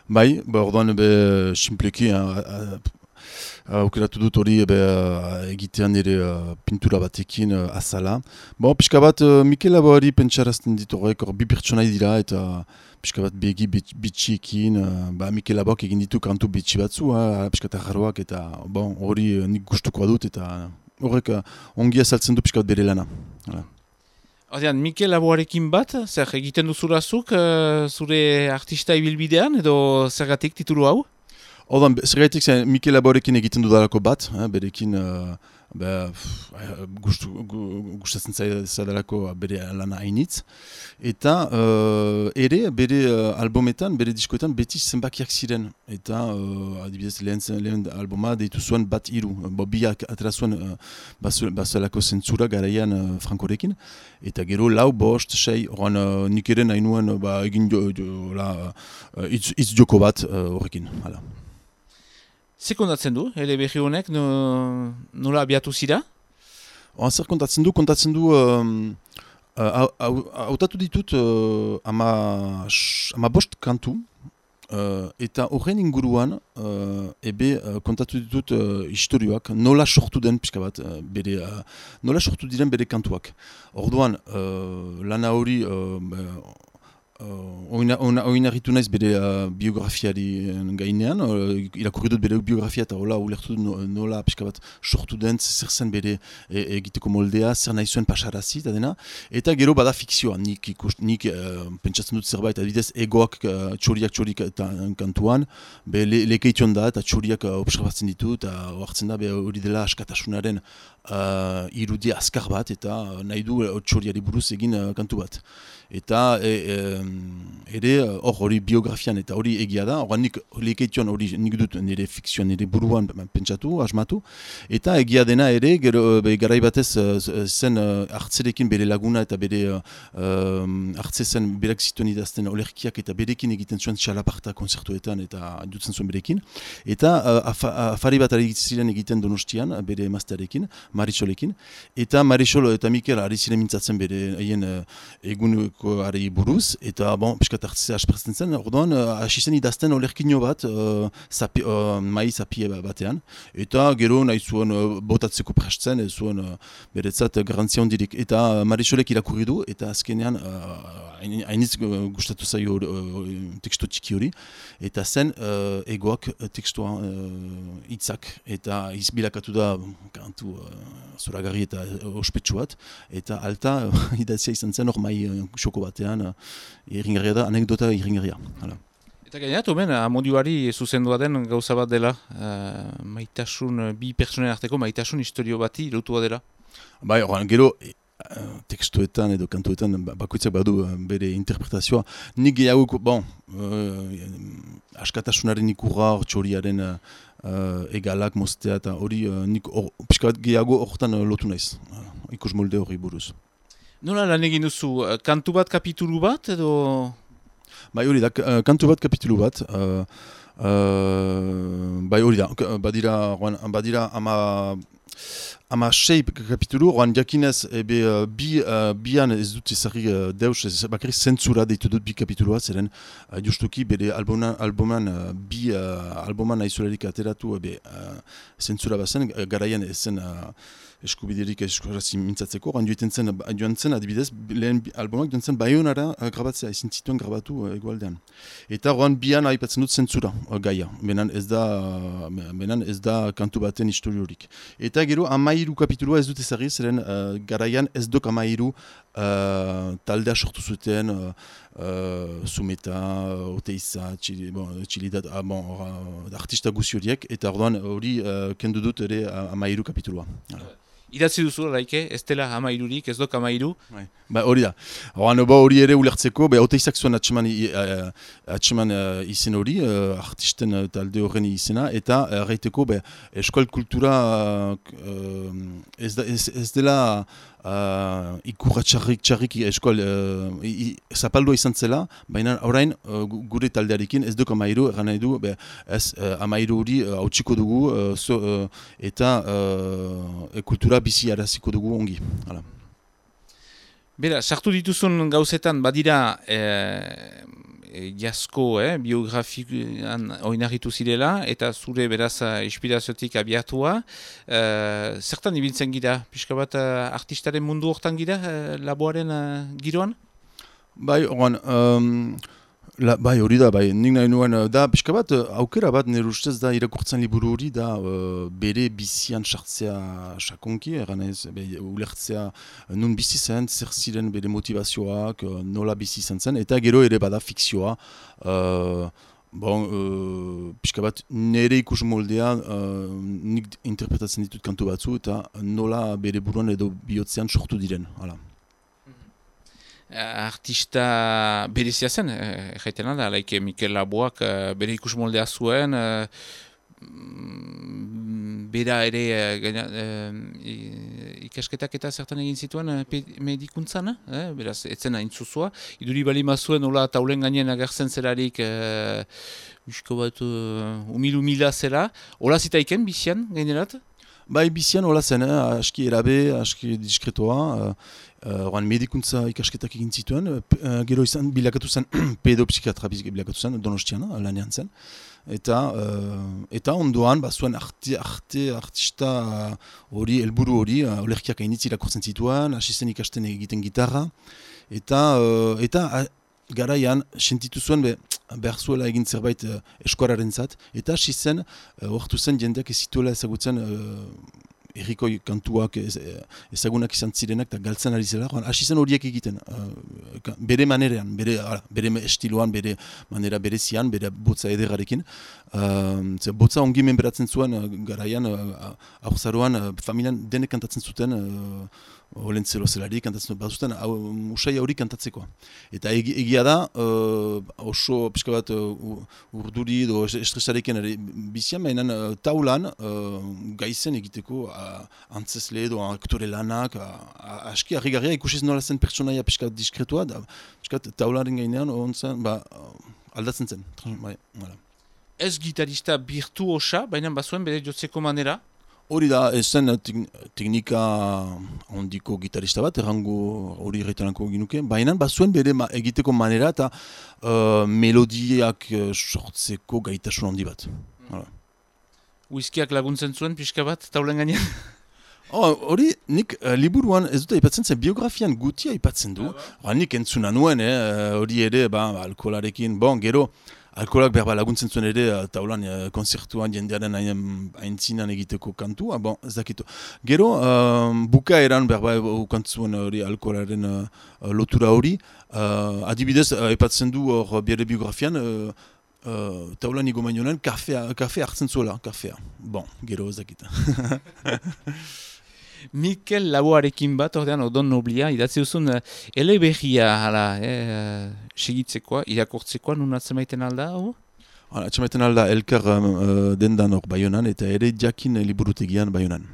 Bai, orduan simpleki aukeratu dut hori egitean nire pintura batekin azala. Pixka bat Mikel Laboari pentsarazten dit horrek, bi pertsonai dira eta pixka bat begi bitxiekin, Mikel Laboak egin ditu kantu bitxi batzu, pixka eta jarroak eta hori nik gustukoa dut eta horrek ongi azaltzen du pixka bat bere lana. Ordean, Mikel Laboarekin bat, zer egiten duzurazuk zure artista ibilbidean edo zergatik titulu hau? Orduan, zergatik Mikel Laboarekin egiten dudalako bat, berekin gustatzen zaidalako bere lana hainitz. Eta ere, bere albumetan, bere diskoetan beti zenbakiak ziren. Eta adibidez lehen albuma deitu zuen bat hiru. Biak atera zuen bazelako zentzura garaian Frankorekin. Eta gero lau, bost, sei, horren nik ere nahi nuen egin hitz joko bat horrekin. Zer kontatzen du, ele berri honek, nola abiatu zira? Zer kontatzen du, hautatu ditut ama bost kantu, eta horren inguruan kontatu ditut historioak, nola sortu den pixka bat, nola sortu diren bere kantuak. Orduan, lana hori oinarritu naiz bere biografiari gainean, irakurri dut bere biografia eta hola ulertu dut nola pixka bat sortu den, zer zen bere egiteko moldea, zer nahi zuen pasarazi eta dena. Eta gero bada fikzioa, nik pentsatzen dut zerbait, adibidez egoak txoriak eta kantuan, lekeition da eta txoriak observatzen ditu eta hartzen da hori dela askatasunaren irudia azkar bat eta nahi du txoriari buruz egin kantu bat. Eta ere hori biografian eta hori egia da, hori nik lekeition hori nik dut nire fikzioan nire buruan pentsatu, asmatu, eta egia dena ere, garai batez zen hartzerekin bere laguna eta bere hartze zen berak zituen idazten olerkiak eta berekin egiten zuen txalaparta konzertuetan eta dutzen zuen berekin, eta afari bat ari ziren egiten Donostian bere emaztearekin, Marisolekin, eta Marisol eta Mikel ari ziren mintzatzen bere eguneko ari buruz, eta piskat hartzea aspertzen zen, orduan hasi zen idazten olerkino bat mai zapie batean, eta gero nahi zuen botatzeko prestzen, ez zuen beretzat garantzia hondirik, eta Marisolek irakurri du, eta azkenean hainitz gustatu zaio tekstu txiki hori, eta zen egoak tekstua hitzak, eta izbilakatu da kantu zoragarri eta ospetsu bat, eta alta idatzia izan zen hor mai xoko batean, irringarria da, anekdota irringarria. Eta gainatu ben, amodioari zuzendua den gauza bat dela, maitasun, bi personen arteko maitasun historio bati lotua dela. Bai, gero, tekstuetan edo kantuetan bakoitzak badu bere interpretazioa. Nik gehiago, askatasunaren ikurra, txoriaren egalak moztea eta hori nik pixka bat gehiago horretan lotu naiz, ikus molde hori buruz. Nola lan egin duzu, kantu bat, kapitulu bat edo? Bai hori da, kantu bat, kapitulu bat. Bai hori da, badira ama sei kapitulu, oan jakinez bian ez dut ezagri deus, bakarrik zentzura deitu dut bi kapitulua, zeren justuki bere albuman aizolarik ateratu zentzura bazen, garaian ezen eskubiderik eskuarazi mintzatzeko, joan zen adibidez, lehen albumak joan zen Baionara grabatzea, ezin zituen grabatu egualdean. Eta oan bian aipatzen dut zentzura gaia, benan ez da kantu baten historiorik. Eta gero amairu kapitulua ez dut ezagri, zeren garaian ez dok amairu taldea sortu zuten, Zumeta, Oteiza, Txilidat, artista guzi horiek, eta orduan hori kendu dut ere amairu kapitulua. Idatzi duzu, laike, ez dela amairurik, ez dok amairu? Ba, hori da. Hori ere ulertzeko, Oteizak zuen atseman izen hori, artisten talde horren izena, eta erraiteko eskual kultura ez dela ikurra txarrik eskual zapaldua izan zela, baina orain gure taldearekin ez duk amairu, erran nahi du, amairu hori hautsiko dugu eta kultura bizi araziko dugu ongi. Bera, sartu dituzun gauzetan badira jasko biografian oinarritu zirela, eta zure beraz inspiraziotik abiatua. Zertan ibiltzen gira? Pixka bat artistaren mundu hortan gira, laboaren giroan? Bai, bai, hori da, bai, nik nahi nuen, da, pixka bat, aukera bat nire ustez da irakurtzen liburu hori da bere bizian sartzea sakonki, eranez, ulertzea nun bizi zen, zer ziren bere motivazioak, nola bizi zen, eta gero ere bada fikzioa, pixka bat nire ikus moldea nik interpretatzen ditut kantu batzu, eta nola bere buruan edo bihotzean sortu diren, hala. Artista berezia zen, jaitena da, laike Mikel Laboak bere ikus moldea zuen, bera ere ikasketak eta zertan egin zituen medikuntzan, beraz, etzen hain zuzua. Iduri bali mazuen, hola taulen gainen agertzen zelarik, usko bat umila zela. Hola zitaiken, bizian, gainerat? Bai, bizian hola zen, aski erabe, aski diskretoa, medikuntza ikasketak egin zituen, gero izan bilakatu zen pedopsikiatra bilakatu zen, Donostian, lanean zen. Eta ondoan, zuen artista hori, helburu hori, olerkiak hainitz irakurtzen zituen, hasi zen ikasten egiten gitarra, eta garaian, sentitu zuen behar zuela egin zerbait eskuararen zat, eta hasi zen, hortu zen jendeak ez zituela ezagutzen errikoi kantuak ezagunak izan zirenak eta galtzen ari zela, hasi zen horiek egiten, bere manerean, bere estiloan, bere manera berezian, bere botza ederrarekin. Botza ongi menberatzen zuen garaian, aurzaroan, familian denek kantatzen zuten, Olentzelo zelari kantatzen bat zuten, usai hori kantatzeko. Eta egia da, oso pixka bat urduri edo estresarekin bizian, baina taulan gaizen egiteko antzesle edo aktore lanak, aski harrigarria ikusiz nola zen pertsonaia pixka diskretua, pixka taularen gainean aldatzen zen. Ez gitarista virtuosa, baina bazuen bere jotzeko manera? Hori da, ez zen teknika handiko gitarista bat, errango hori erretanako ginuke, baina bazuen bere egiteko manera eta melodiak sortzeko gaitasun handi bat. Whiskyak laguntzen zuen pixka bat, taulen gainean? Hori, nik liburuan ez dut aipatzen zen, biografian gutia aipatzen du. Nik entzuna nuen, hori ere, alkoholarekin, gero, alkoholak behar laguntzen zuen ere, taulan konzertuan jendearen aintzinan egiteko kantua, ez dakitu. Gero, bukaeran behar kantzuen hori alkoholaren lotura hori, adibidez, aipatzen du hor bere biografian, taulan igo mainionen, kafe hartzen zuela, kafea. Gero ez dakita. Mikel Laboarekin bat, ordean Odon Noblia, idatzi duzun eleberria segitzekoa, irakortzekoa, nun atzemaiten alda, hau? Atzemaiten alda elkar dendan hor Baionan, eta ere jakin liburutegian Baionan.